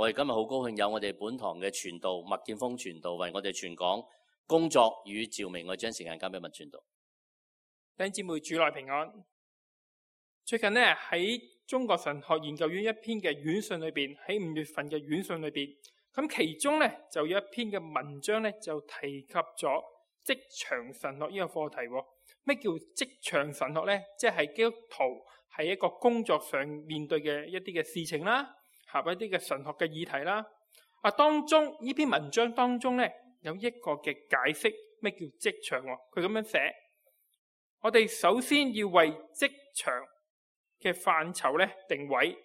我哋今日好高興有我哋本堂嘅傳道麥建峰傳道為我哋傳講工作與召命。我將時間交俾麥傳道。弟兄姊妹，主內平安。最近呢，喺中國神學研究院一篇嘅院信裏邊，喺5月份嘅院信裏邊，咁其中呢就有一篇嘅文章呢，就提及咗職場神學呢個課題。咩叫職場神學呢？即係基督徒喺一個工作上面對嘅一啲嘅事情啦，一啲嘅神學嘅議題啦。當中呢篇文章當中呢，有一個嘅解釋，咩叫職場？佢咁樣寫：我哋首先要為職場嘅範疇咧定位，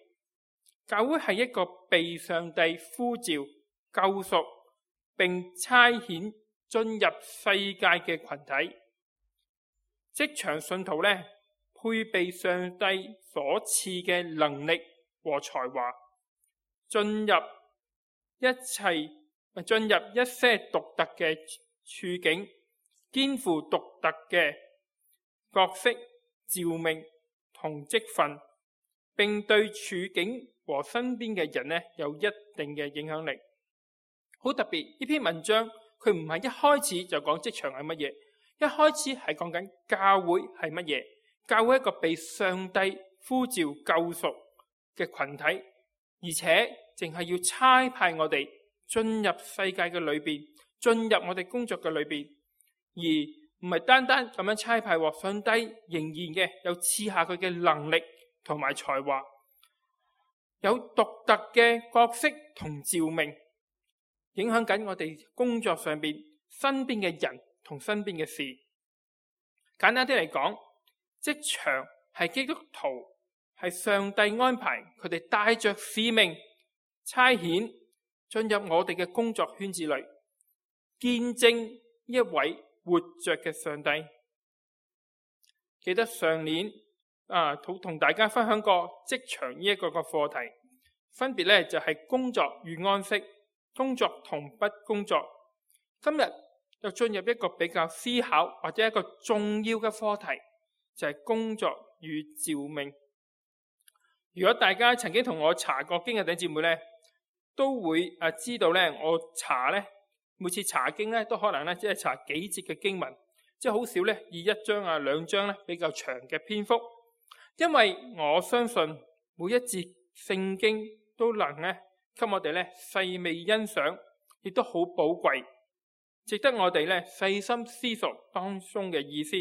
教會係一個被上帝呼召、救贖並差遣進入世界嘅群體。職場信徒咧配備上帝所賜嘅能力和才華，進入一些獨特嘅處境，肩負獨特嘅角色、召命同職分，並對處境和身邊嘅人呢有一定嘅影響力。好特別，呢篇文章佢唔係一開始就講職場係乜嘢，一開始係講緊教會係乜嘢。教會係一個被上帝呼召救贖嘅群體，而且淨係要差派我哋進入世界嘅裏邊，進入我哋工作嘅裏邊，而唔係單單咁樣差派。上帝仍然嘅有賜下佢嘅能力同埋才華，有獨特嘅角色同召命，影響緊我哋工作上邊身邊嘅人同身邊嘅事。簡單啲嚟講，職場係基督徒，係上帝安排佢哋帶着使命差遣進入我哋嘅工作圈子裏，見證一位活着嘅上帝。記得上年同大家分享過職場呢一個個課題，分別咧就係工作與安息，工作同不工作。今日又進入一個比較思考或者一個重要嘅課題，就係工作與召命。如果大家曾經同我查過經嘅弟兄姊妹咧，都會知道咧，我查咧每次查經咧都可能咧只係查幾節嘅經文，即係好少咧以1章2章咧比較長嘅篇幅，因為我相信每一節聖經都能咧給我哋咧細味欣賞，亦都好寶貴，值得我哋咧細心思索當中嘅意思。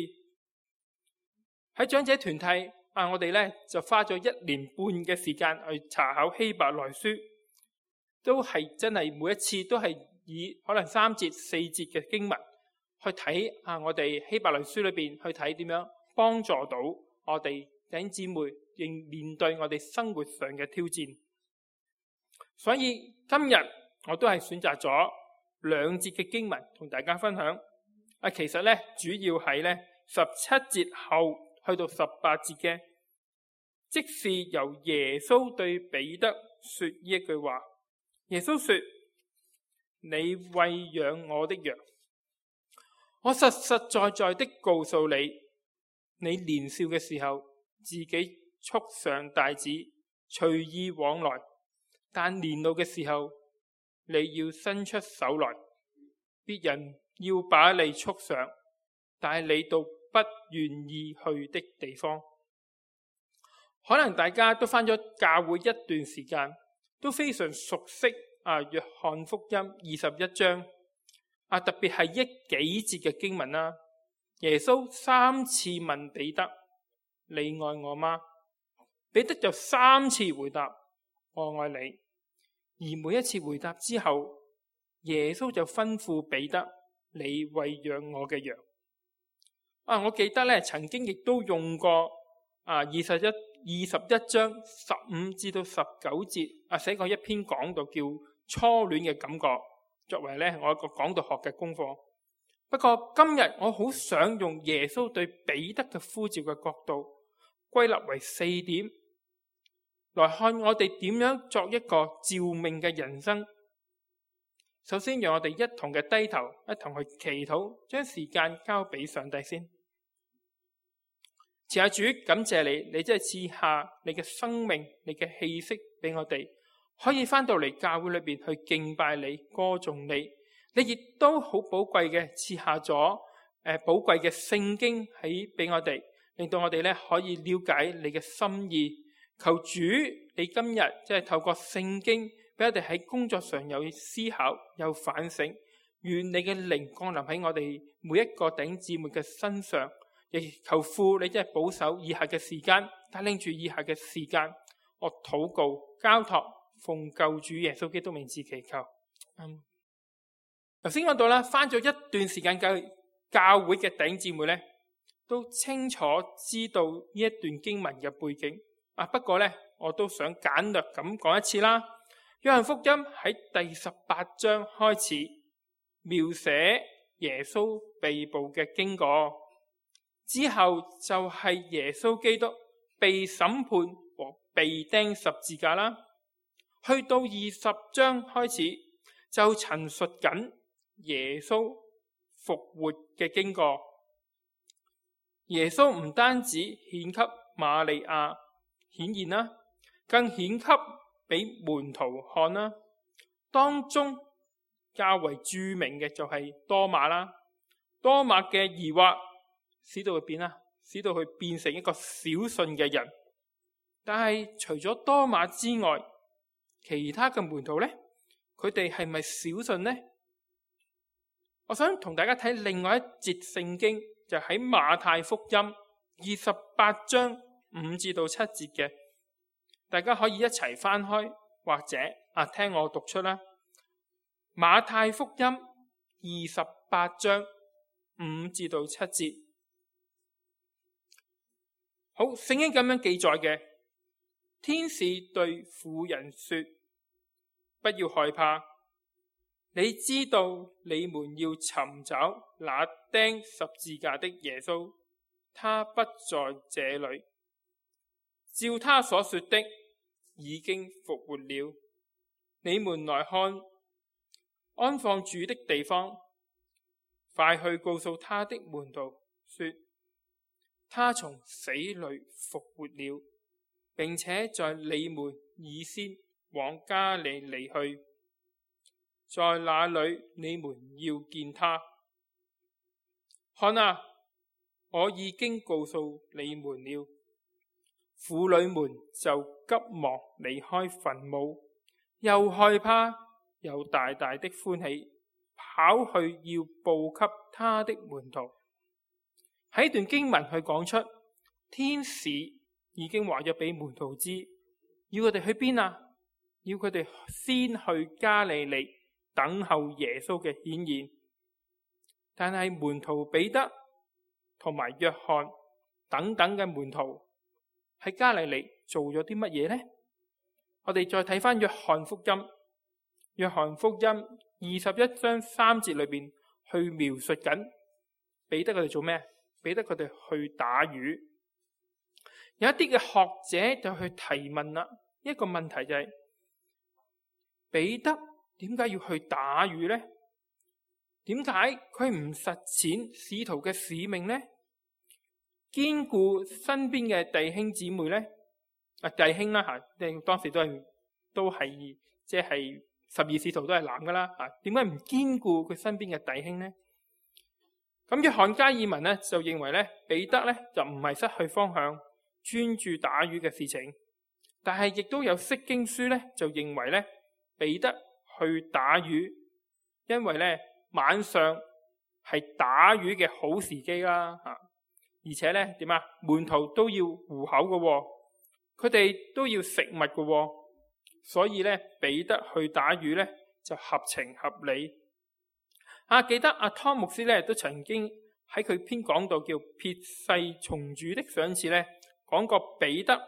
喺長者團體我哋咧就花咗1年半嘅時間去查考希伯來書，都係真係每一次都係以可能3節4節嘅經文去睇我哋希伯來書裏邊去睇點樣幫助到我哋弟兄姊妹應面對我哋生活上嘅挑戰。所以今日我都係選擇咗2節嘅經文同大家分享。其實咧主要係咧17節後去到18節嘅，即是由耶穌對彼得說呢一句話。耶穌說：你餵養我的羊，我實實在在的告訴你，你年少嘅時候自己束上帶子，隨意往來，但年老嘅時候你要伸出手來，別人要把你束上，帶你到不願意去的地方。可能大家都返咗教會一段時間，都非常熟悉約翰福音21章特別係幾節嘅經文啦。耶穌3次問彼得：你愛我嗎？彼得就3次回答：我愛你。而每一次回答之後，耶穌就吩咐彼得：你餵養我嘅羊。我記得咧曾經亦都用過21章15至到19節寫過一篇講道叫初戀嘅感覺，作為咧我一個講道學嘅功課。不過今日我好想用耶穌對彼得嘅呼召嘅角度歸納為4點，來看我哋點樣作一個召命嘅人生。首先讓我哋一同嘅低頭，一同去祈禱，將時間交俾上帝先。謝主，感謝你，你真係賜下你嘅生命，你嘅氣息俾我哋，可以翻到嚟教會裏邊去敬拜你、歌頌你。你亦都好寶貴嘅賜下咗寶貴嘅聖經俾我哋，令到我哋咧可以了解你嘅心意。求主你今日即係透過聖經俾我哋喺工作上有思考、有反省。願你嘅靈降臨喺我哋每一個弟兄姊妹嘅身上，亦求父你即係保守以下嘅時間，帶領住以下嘅時間，我禱告交託，奉救主耶穌基督名字祈求。頭先講到啦，翻咗一段時間嘅教會嘅弟兄姊妹咧，都清楚知道呢一段經文嘅背景。不過咧，我都想簡略咁講一次啦。約翰福音喺第18章開始描寫耶穌被捕嘅經過，之後就係耶穌基督被審判和被釘十字架啦。去到20章開始就陳述緊耶穌復活嘅經過。耶穌唔單止顯給瑪利亞顯現啦，更顯給俾門徒看啦。當中較為著名嘅就係多馬啦。多馬嘅疑惑使到佢變成一個小信嘅人。但係除咗多馬之外，其他嘅門徒呢，佢哋係咪小信呢？我想同大家睇另外一節聖經，就喺馬太福音28章5至到7節嘅，大家可以一齊翻開，或者聽我讀出啦。馬太福音28章5至到7節，好，聖經咁樣記載嘅。天使對婦人說：不要害怕，你知道你們要尋找那釘十字架的耶穌，他不在這裏，照他所說的，已經復活了。你們來看安放主的地方，快去告訴他的門徒說，他從死裏復活了，並且在你們以先往加利利去，在那裏你們要見他。看啊，我已經告訴你們了。婦女們就急忙離開墳墓，又害怕又大大的歡喜，跑去要報給他的門徒。喺段經文去講出，天使已經話咗俾門徒知，要佢哋去邊啊？要佢哋先去加利利等候耶穌嘅顯現。但係門徒彼得同埋約翰等等嘅門徒喺加利利做咗啲乜嘢呢？我哋再睇翻約翰福音，約翰福音21章3節裏邊去描述緊彼得佢哋做咩？彼得佢哋去打魚。有一啲嘅學者就去提問啦，一個問題就係彼得點解要去打魚呢？點解佢唔實踐使徒嘅使命呢？堅固身邊嘅弟兄姊妹呢？弟兄啦吓，當時都係即係12使徒都係男噶啦吓，點解唔堅固佢身邊嘅弟兄呢？咁約翰加爾文呢就認為咧，彼得咧就唔係失去方向，專注打魚嘅事情。但係亦都有釋經書咧就認為咧，彼得去打魚，因為咧晚上係打魚嘅好時機啦吓，而且咧點啊，門徒都要糊口嘅，佢哋都要食物嘅，所以咧彼得去打魚咧就合情合理。記得阿湯牧師咧都曾經喺佢篇講道叫《撇世從主的賞賜》咧，講過彼得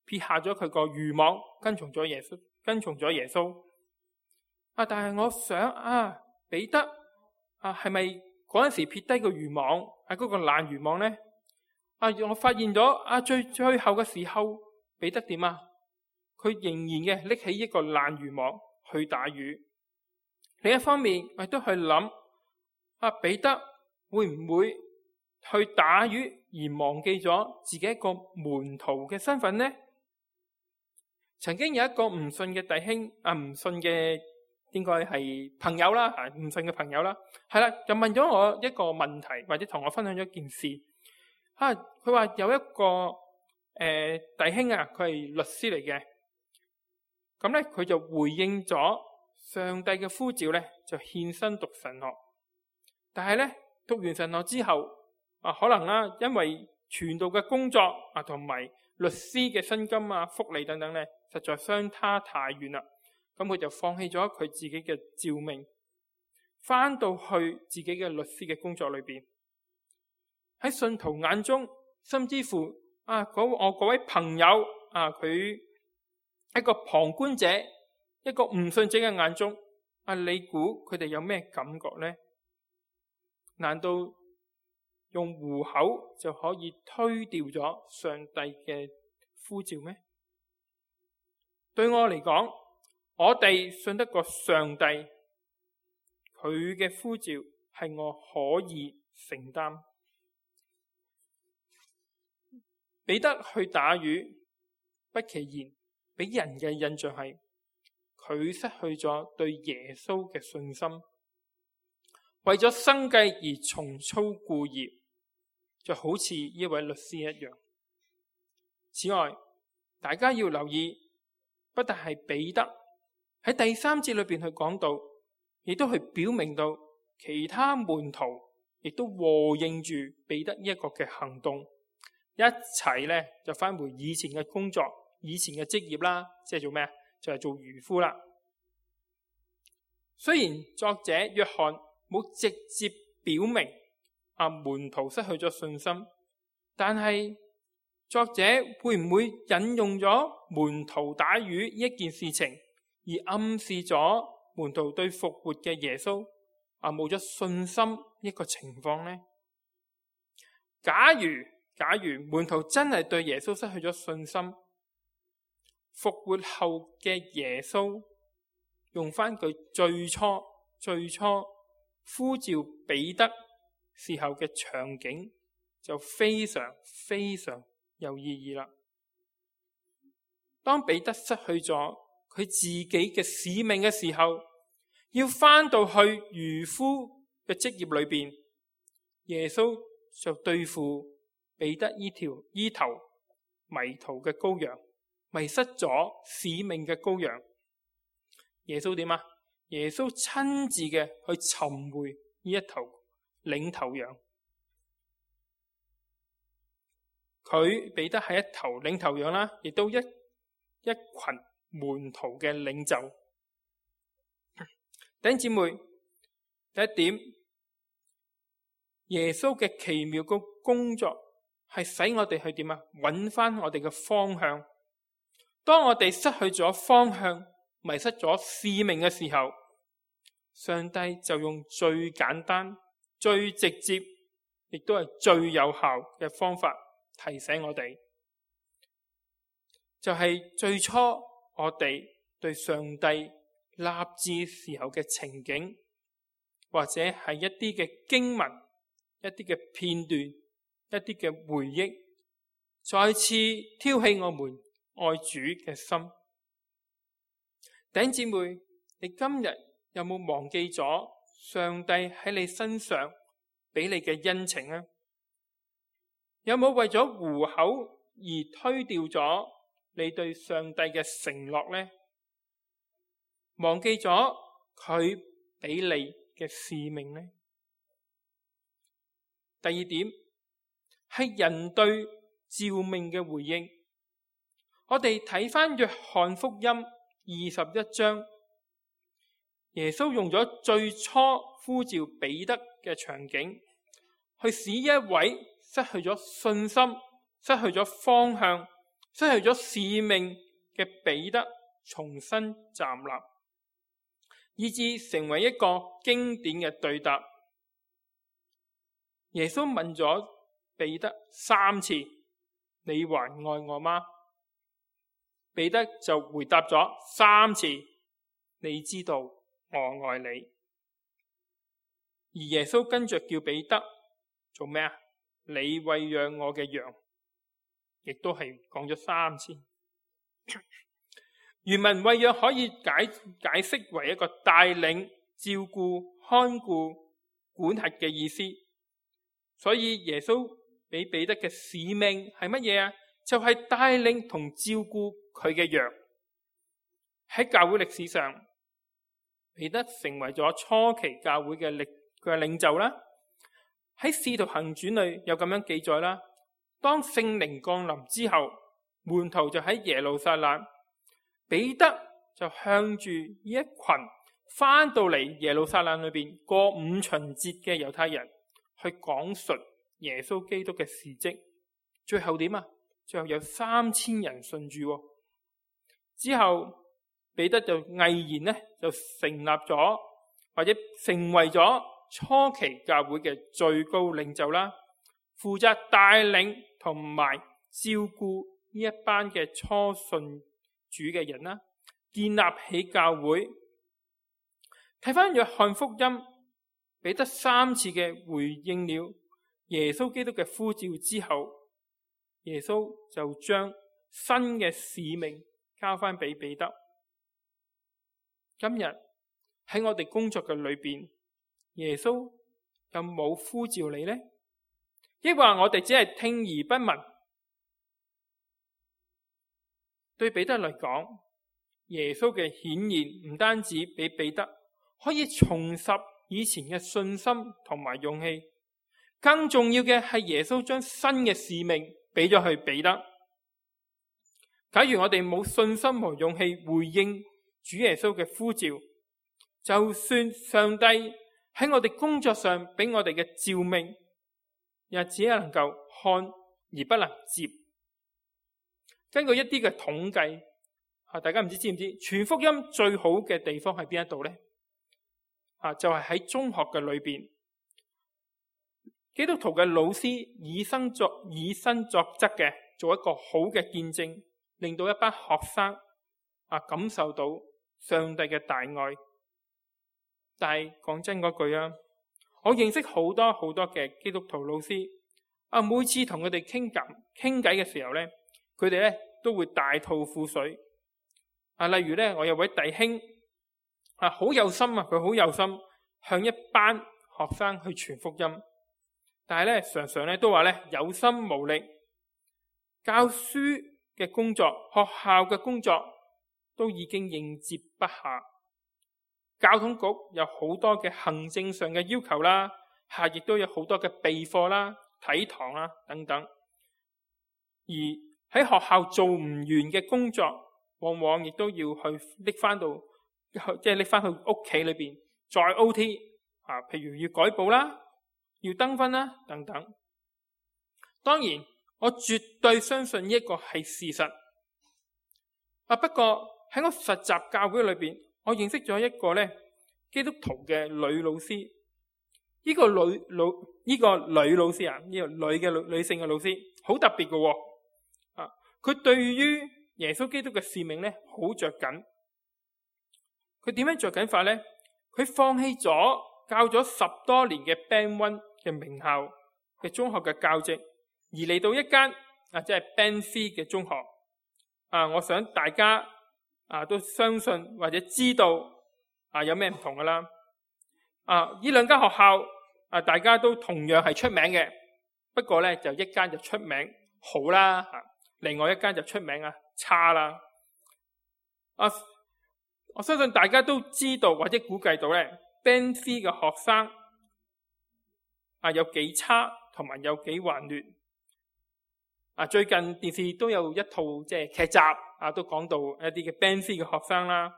撇下咗佢個漁網，跟從咗耶穌。但係我想彼得係咪嗰陣時撇低個漁網係嗰個爛漁網咧？我發現咗最後嘅時候，彼得點啊？佢仍然嘅拎起一個爛漁網去打魚。另一方面，我亦都去諗彼得會唔會去打魚而忘記咗自己一個門徒嘅身份呢？曾經有一個唔信嘅弟兄唔信嘅應該係朋友啦，唔信嘅朋友啦，係啦，就問咗我一個問題，或者同我分享咗一件事。佢話有一個弟兄佢係律師嚟嘅，咁咧佢就回應咗上帝嘅呼召咧，就獻身讀神學。但係咧讀完神學之後可能啦，因為傳道嘅工作同埋律師嘅薪金福利等等咧，實在相差太遠啦。咁佢就放棄咗佢自己嘅召命，翻到去自己嘅律師嘅工作裏邊。喺信徒眼中，甚至乎我嗰位朋友佢一個旁觀者，一個唔信者嘅眼中，你估佢哋有咩感覺呢？難道用糊口就可以推掉咗上帝嘅呼召咩？對我嚟講，我哋信得過上帝，佢嘅呼召係我可以承擔。彼得去打魚，不其然俾人嘅印象係佢失去咗對耶穌嘅信心，為咗生計而重操故業，就好似呢位律師一樣。此外，大家要留意，不但係彼得喺第3節裏邊去講到，亦都去表明到其他門徒亦都和應住彼得呢一個嘅行動，一齊咧就翻回以前嘅工作、以前嘅職業啦，即係做咩？就係做漁夫啦。雖然作者約翰冇直接表明門徒失去咗信心，但係作者會唔會引用咗門徒打魚呢一件事情，而暗示咗門徒對復活嘅耶穌冇咗信心一個情況呢？假如門徒真係對耶穌失去咗信心，復活後嘅耶穌用翻佢最初呼召彼得時候嘅場景，就非常有意義啦。當彼得失去咗佢自己嘅使命嘅時候，要翻到去漁夫嘅職業裏邊，耶穌就對付彼得呢頭迷途嘅羔羊，迷失咗使命嘅羔羊。耶穌點啊？耶穌親自嘅去尋回呢一頭領頭羊。佢彼得係一頭領頭羊啦，亦都一群門徒嘅領袖。弟兄姊妹，第一點，耶穌嘅奇妙嘅工作係使我哋去點啊？揾翻我哋嘅方向。當我哋失去咗方向，迷失咗使命嘅時候，上帝就用最簡單、最直接，亦都係最有效嘅方法提醒我哋，就係最初我哋對上帝立志時候嘅情景，或者係一啲嘅經文、一啲嘅片段、一啲嘅回憶，再次挑起我們愛主嘅心。弟兄姊妹，你今日有冇忘記咗上帝喺你身上俾你嘅恩情呢？有冇為咗糊口而推掉咗你對上帝嘅承諾呢？忘記咗佢俾你嘅使命呢？第二點係人對召命嘅回應。我哋睇翻約翰福音21章，耶穌用咗最初呼召彼得嘅場景，去使一位失去咗信心、失去咗方向、失去咗使命嘅彼得重新站立，以致成為一個經典嘅對答。耶穌問咗彼得3次：你還愛我嗎？彼得就回答咗3次：你知道我愛你。而耶穌跟着叫彼得做咩啊？你餵養我嘅羊，亦都係講咗3次。原文為約可以解釋為一個帶領、照顧、看顧、管轄嘅意思。所以耶穌俾彼得嘅使命係乜嘢啊？就係帶領同照顧佢嘅羊。喺教會歷史上，彼得成為咗初期教會嘅領袖啦。喺《使徒行傳》裏有咁樣記載啦。當聖靈降臨之後，門徒就喺耶路撒冷，彼得就向住呢一群翻到嚟耶路撒冷裏邊過五旬節嘅猶太人去講述耶穌基督嘅事蹟。最後點啊？最後有3000人信主。之後彼得就毅然呢就成立咗或者成為咗初期教會嘅最高領袖啦，負責帶領同埋照顧呢一班嘅初信主嘅人啦，建立起教會。睇翻約翰福音，彼得3次嘅回應了耶穌基督嘅呼召之後，耶穌就將新嘅使命交翻俾彼得。今日喺我哋工作嘅裏邊，耶穌有冇呼召你呢？抑或我哋只係聽而不聞？對彼得嚟講，耶穌嘅顯現唔單止俾彼得可以重拾以前嘅信心同埋勇氣，更重要嘅係耶穌將新嘅使命俾咗去彼得。假如我哋冇信心和勇氣回應主耶穌嘅呼召，就算上帝喺我哋工作上俾我哋嘅召命，也只係能夠看而不能接。根據一啲嘅統計，大家唔知唔知傳福音最好嘅地方喺邊一度呢？就係喺中學嘅裏邊，基督徒嘅老師以身作則嘅，做一個好嘅見證，令到一班學生感受到上帝嘅大愛。但係講真嗰句啊，我認識好多嘅基督徒老師，每次同佢哋傾偈嘅時候呢，佢哋呢都會大吐苦水。例如呢，我有位弟兄好有心佢好有心向一班學生去傳福音，但係呢常常呢都話呢有心無力，教書嘅工作、學校嘅工作都已經應接不暇。交通局有好多嘅行政上嘅要求啦，亦都有好多嘅備課啦、體堂啦等等。而喺學校做唔完嘅工作，往往亦都要去拎翻到，即係拎翻去屋企裏邊再 OT 譬如要改簿啦、要登分啦等等。當然，我絕對相信呢一個係事實。不過喺我實習教會裏邊，我認識咗一個基督徒嘅女老師。呢個女老師呢個女性嘅老師好特別嘅。佢對於耶穌基督嘅使命好着緊。佢點樣着緊法呢？佢放棄咗教咗10多年嘅 Band 1嘅名校嘅中學嘅教職，而嚟到一間即係 Band 3嘅中學。我想大家都相信或者知道有咩唔同噶啦。呢兩間學校大家都同樣係出名嘅，不過呢就一間就出名好啦，另外一間就出名差啦。我相信大家都知道或者估計到Band 3嘅學生有幾差同埋有幾頑劣。最近電視都有一套即係劇集都講到一啲嘅 Band 3嘅學生啦，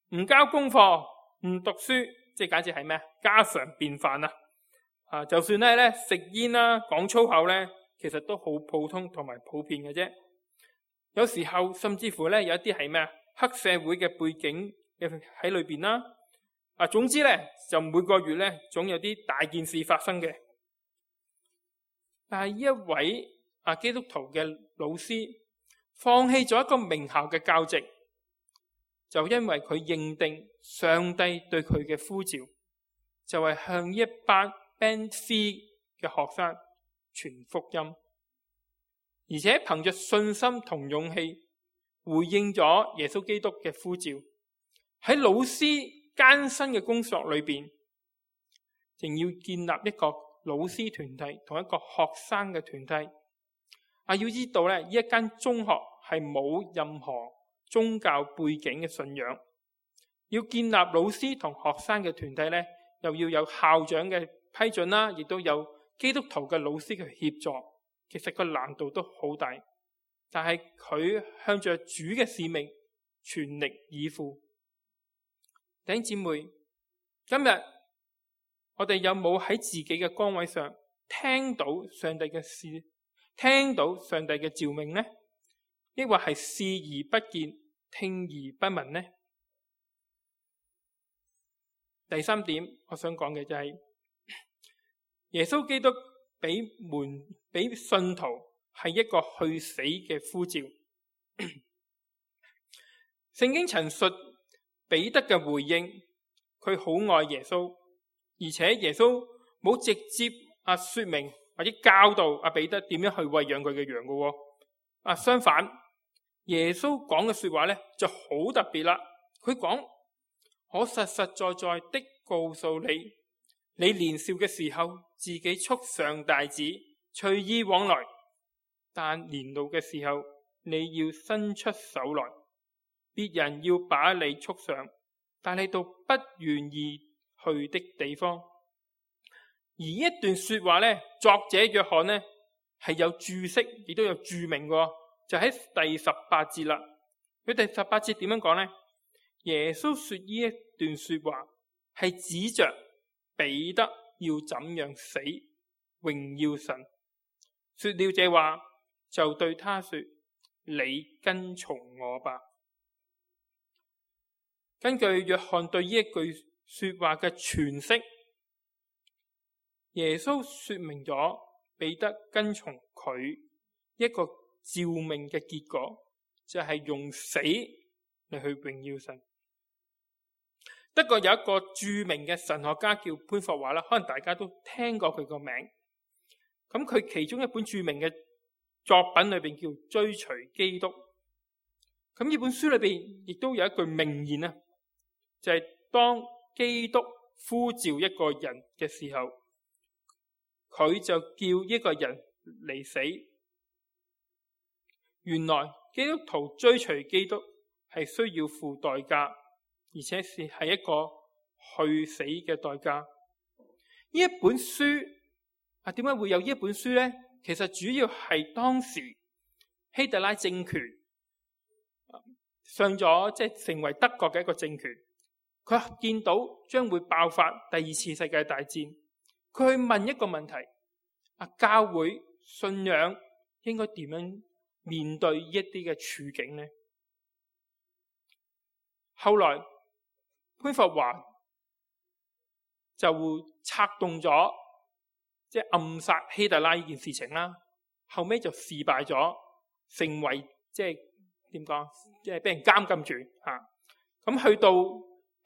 唔交功課、唔讀書，即係簡直係咩？家常便飯啦。就算咧食煙啦、講粗口咧，其實都好普通同埋普遍嘅啫。有時候甚至乎咧有一啲係咩？黑社會嘅背景喺裏邊啦。總之咧就每個月咧總有啲大件事發生嘅。但係呢一位基督徒嘅老師放棄咗一個名校嘅教職，就因為佢認定上帝對佢嘅呼召就係向一班 Band 3嘅學生傳福音，而且憑着信心同勇氣回應咗耶穌基督嘅呼召，喺老師艱辛嘅工作裏邊，仍要建立一個老師團體同一個學生嘅團體。要知道咧，呢一間中學係冇任何宗教背景嘅信仰。要建立老師同學生嘅團體咧，又要有校長嘅批准啦，亦都有基督徒嘅老師嘅協助。其實個難度都好大，但係佢向着主嘅使命全力以赴。弟兄姊妹，今日我哋有冇喺自己嘅崗位上聽到上帝嘅事，聽到上帝嘅召命呢？抑或係視而不見，聽而不聞呢？第三點我想講嘅就係耶穌基督俾信徒係一個去死嘅呼召。聖經陳述彼得嘅回應，佢好愛耶穌，而且耶穌冇直接說明或者教導彼得點樣去餵養佢嘅羊嘅。相反，耶穌講嘅說話咧就好特別啦。佢講：我實實在在的告訴你，你年少嘅時候自己束上帶子，隨意往來；但年老嘅時候，你要伸出手來，別人要把你束上，帶你到不願意去的地方。而一段說話呢，作者約翰呢係有注釋，亦都有注明嘅，就喺第18節啦。佢第18節點樣講呢？耶穌說呢一段說話係指着彼得要怎樣死，榮耀神。說了這話，就對他說：你跟從我吧。根據約翰對呢一句說話嘅詮釋，耶穌說明咗彼得跟從佢一個召命嘅結果，就係用死嚟去榮耀神。德國有一個著名嘅神學家叫潘霍華啦，可能大家都聽過佢個名。咁佢其中一本著名嘅作品裏邊叫《追隨基督》。咁呢本書裏邊亦都有一句名言啊，就係當基督呼召一個人嘅時候，佢就叫一個人嚟死。原來基督徒追隨基督係需要付代價，而且係一個去死嘅代價。呢一本書點解會有呢一本書呢？其實主要係當時希特拉政權上咗，即係成為德國嘅一個政權。佢見到將會爆發第2次世界大戰，佢去問一個問題：教會信仰應該點樣面對一啲嘅處境呢？後來潘霍華就會策動咗，即係暗殺希特拉呢件事情啦。後尾就事敗咗，成為即係點講，即係俾人監禁住吓。咁去到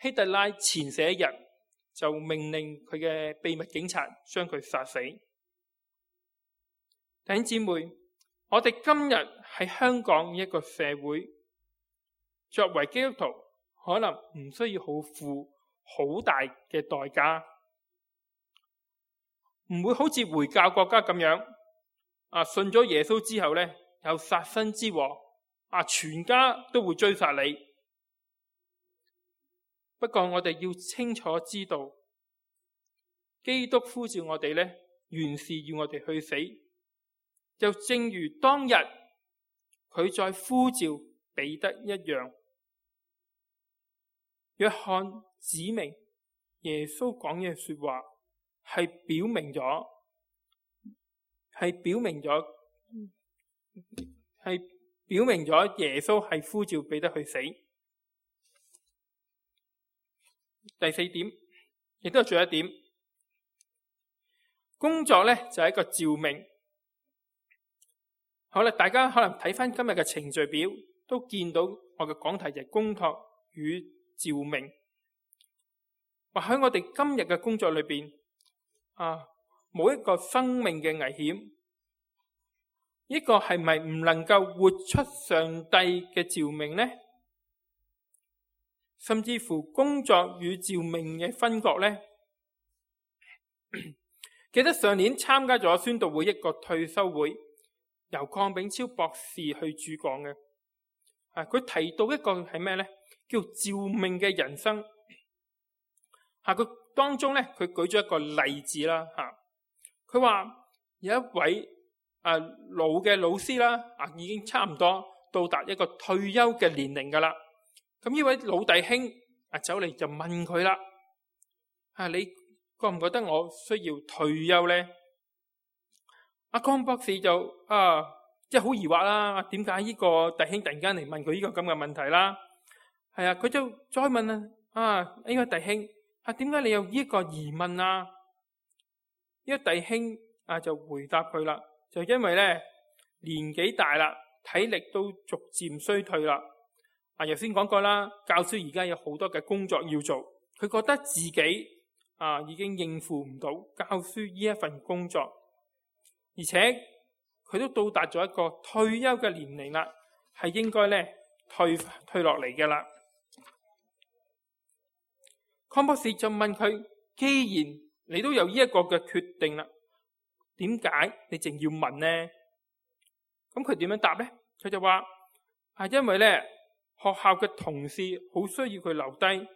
希特拉前寫一日，就命令佢嘅秘密警察將佢殺死。弟兄姊妹，我哋今日喺香港一個社會，作為基督徒，可能唔需要付好大嘅代價，唔會好似回教國家咁樣，信咗耶穌之後呢，有殺身之禍，全家都會追殺你。不過我哋要清楚知道，基督呼召我哋呢，原是要我哋去死。就正如當日佢在呼召彼得一樣，約翰指明耶穌講嘅說話係表明咗耶穌係呼召彼得去死。第4點，亦都係最後一點，工作呢就係一個召命。好啦，大家可能睇翻今日嘅程序表，都見到我嘅講題就係工作與召命。或喺我哋今日嘅工作裏邊，冇一個生命嘅危險，呢個係咪唔能夠活出上帝嘅召命呢？甚至乎工作與召命嘅分割呢？記得上年參加咗宣道會一個退休會，由鄺炳超博士去主講嘅。佢提到一個係咩呢？叫召命嘅人生。佢當中咧，佢舉咗一個例子啦。佢話有一位老嘅老師啦，已經差唔多到達一個退休嘅年齡噶啦。咁呢位老弟兄走嚟就問佢啦：你覺唔覺得我需要退休呢？阿鄺博士就即係好疑惑啦。點解呢個弟兄突然間嚟問佢呢個咁嘅問題啦？佢就再問呢位弟兄。點解你有呢個疑問啊？呢個弟兄就回答佢啦，就因為咧年紀大啦，體力都逐漸衰退啦。頭先講過啦，教書而家有好多嘅工作要做，佢覺得自己已經應付唔到教書呢一份工作，而且佢都到達咗一個退休嘅年齡啦，係應該咧退落嚟嘅啦。鄺博士就問佢：既然你都有呢一個嘅決定啦，點解你淨要問呢？咁佢點樣答呢？佢就話：因為咧學校嘅同事好需要佢留低，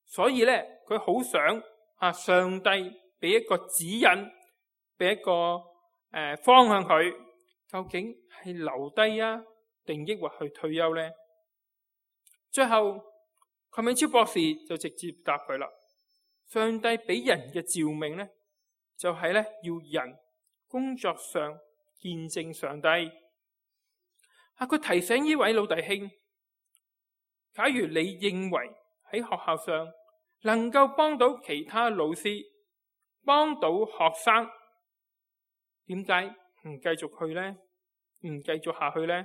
所以咧佢好想上帝俾一個指引，俾一個方向佢，究竟係留低啊，定抑或去退休呢？最後鄺炳超博士就直接答佢啦：上帝俾人嘅召命呢，就係咧要人工作上見證上帝。佢提醒呢位老弟兄，假如你認為喺學校上能夠幫到其他老師，幫到學生，點解唔繼續去呢？唔繼續下去呢？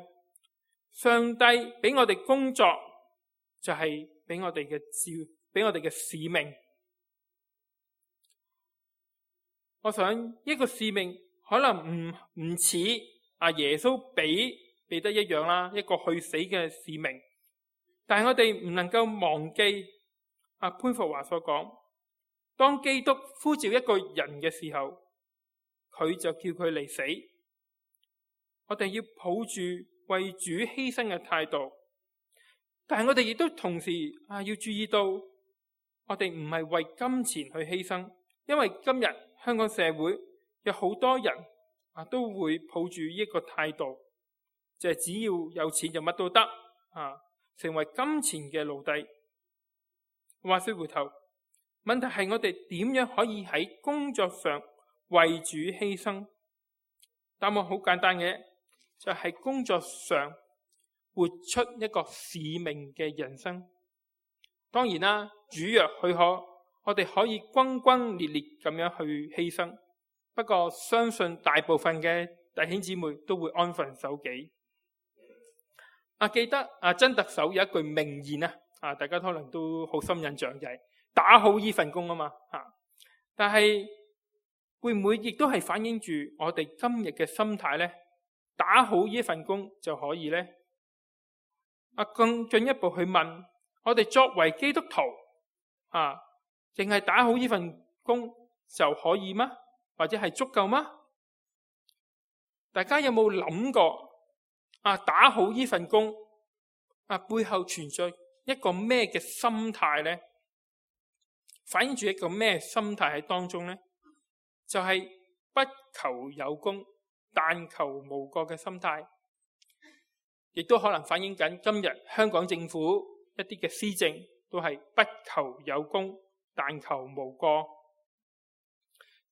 上帝俾我哋工作，就係俾我哋嘅俾我哋嘅使命。我想一個使命可能唔似耶穌俾彼得一樣啦，一個去死嘅使命。但係我哋唔能夠忘記潘霍華所講，當基督呼召一個人嘅時候，佢就叫佢嚟死。我哋要抱住為主犧牲嘅態度。但係我哋亦都同時要注意到，我哋唔係為金錢去犧牲，因為今日香港社會有好多人都會抱住呢一個態度，就係只要有錢就乜都得成為金錢嘅奴隸。話說回頭，問題係我哋點樣可以喺工作上為主犧牲？答案好簡單嘅，就係工作上活出一個使命嘅人生。當然啦，主若許可，我哋可以轟轟烈烈咁樣去犧牲。不過相信大部分嘅弟兄姊妹都會安分守己。記得曾特首有一句名言大家可能都好深印象，就係打好呢份工啊嘛。但係會唔會亦都係反映住我哋今日嘅心態呢？打好呢份工就可以呢？更進一步去問，我哋作為基督徒淨係打好呢份工就可以嗎？或者係足夠嗎？大家有冇諗過打好呢份工背後存在一個咩嘅心態呢？反映住一個咩心態喺當中呢？就係不求有功，但求無過嘅心態，亦都可能反映緊今日香港政府一啲嘅施政都係不求有功，但求無過。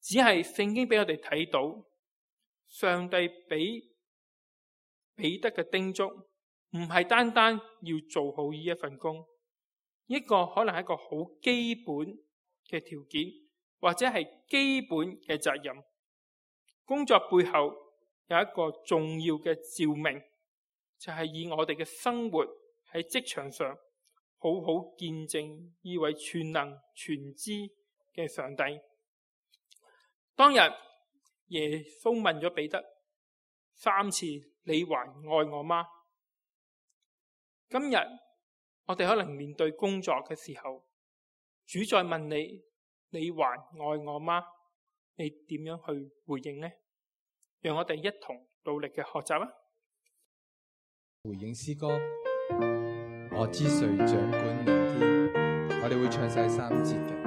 只係聖經俾我哋睇到，上帝俾彼得嘅叮囑，唔係單單要做好呢一份工，呢個可能係一個好基本嘅條件，或者係基本嘅責任。工作背後有一個重要嘅召命，就係以我哋嘅生活喺職場上好好見證呢位全能全知嘅上帝。當日耶穌問咗彼得， 3次，你還愛我嗎？今日我哋可能面對工作嘅時候，主再問你，你還愛我嗎？你點樣去回應呢？讓我哋一同努力嘅學習啊！回應詩歌，我知誰掌管明天，我哋會唱晒3節嘅。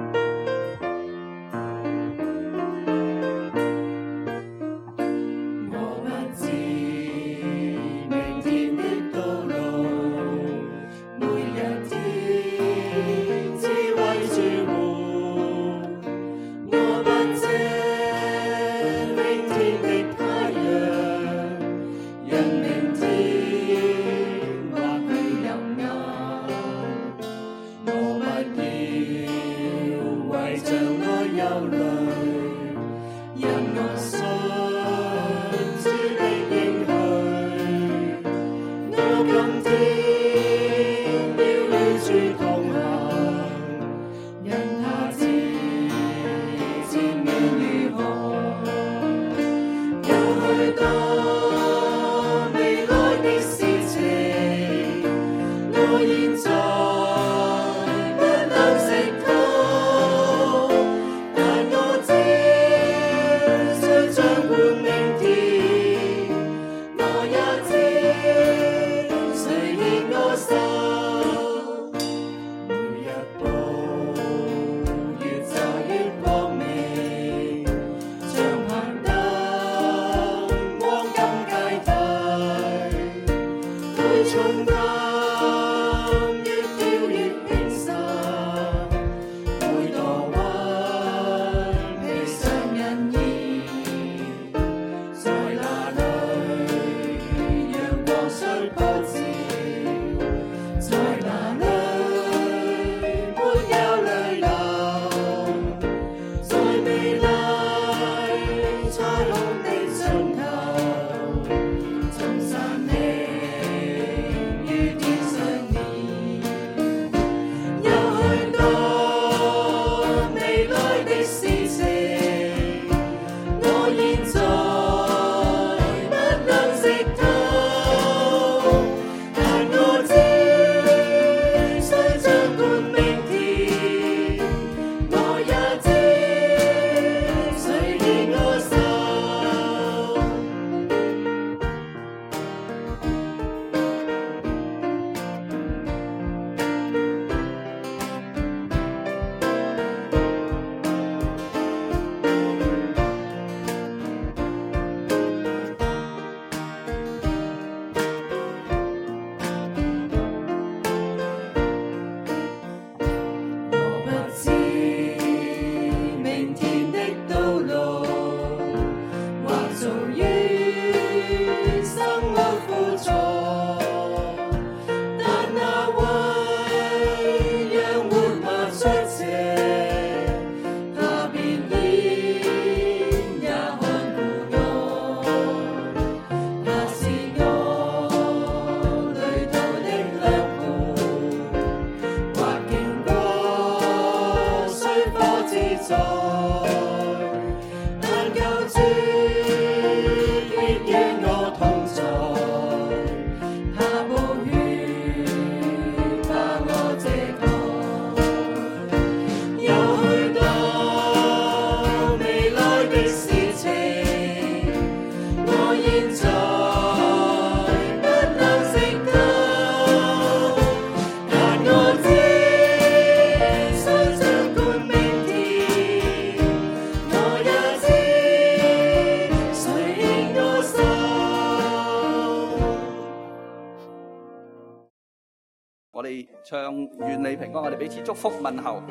我哋唱願你平安，我哋彼此祝福問候。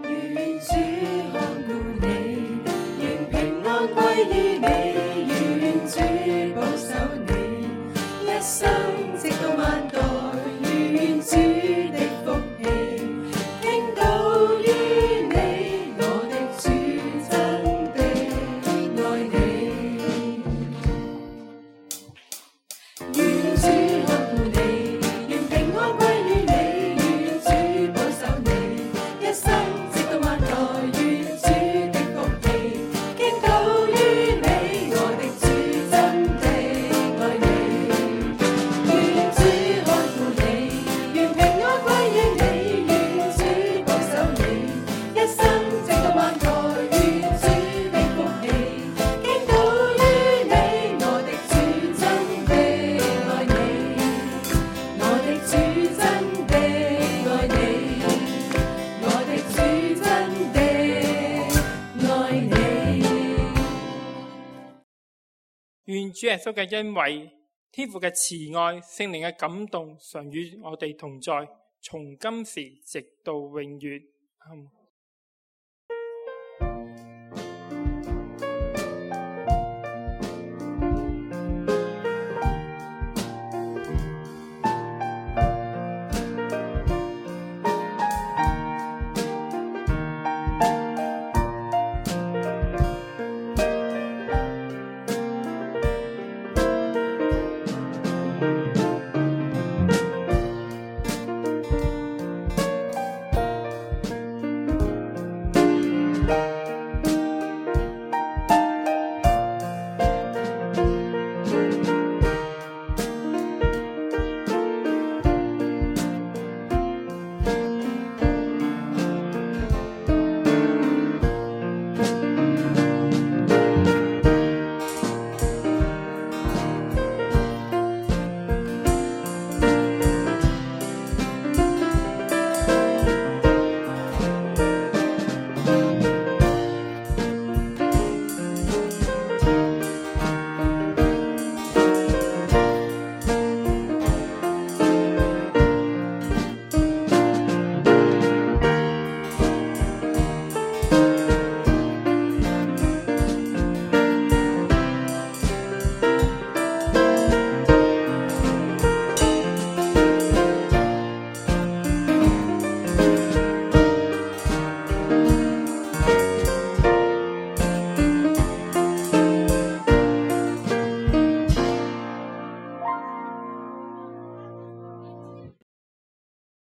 願主看顧你，願平安歸於你，願主保守你，一生直到萬代，願主的福氣傾倒於你，我的主真的愛你。願主看顧你，願平安歸於你，願主保守你，一生願主耶穌嘅恩惠、天父嘅慈愛、聖靈嘅感動常與我哋同在，從今時直到永遠。